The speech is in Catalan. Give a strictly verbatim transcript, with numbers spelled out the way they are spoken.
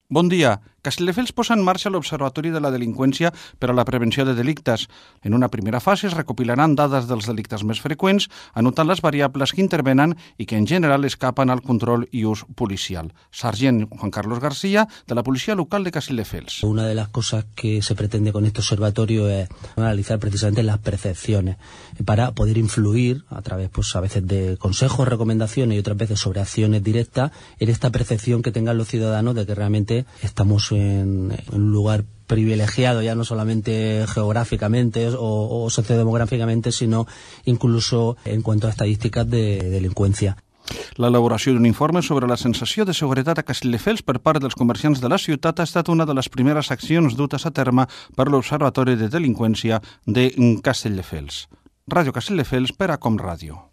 Bon dia. Castelldefels posa en marxa l'Observatori de la Delinqüència per a la Prevenció de Delictes. En una primera fase es recopilaran dades dels delictes més freqüents, anotant les variables que intervenen i que en general escapen al control i ús policial. Sargent Juan Carlos García, de la Policía Local de Castelldefels. Una de las cosas que se pretende con este observatorio es analizar precisamente las percepciones para poder influir a través, pues a veces de consejos, recomendaciones y otras veces sobre acciones directas en esta percepción que tengan los ciudadanos de que realmente estamos en, en un lugar privilegiado, ya no solamente geográficamente o, o sociodemográficamente, sino incluso en cuanto a estadísticas de delincuencia. L'elaboració d'un informe sobre la sensació de seguretat a Castelldefels per part dels comerciants de la ciutat ha estat una de les primeres accions dutes a terme per l'Observatori de Delinqüència de Castelldefels. Ràdio Castelldefels per a Com Ràdio.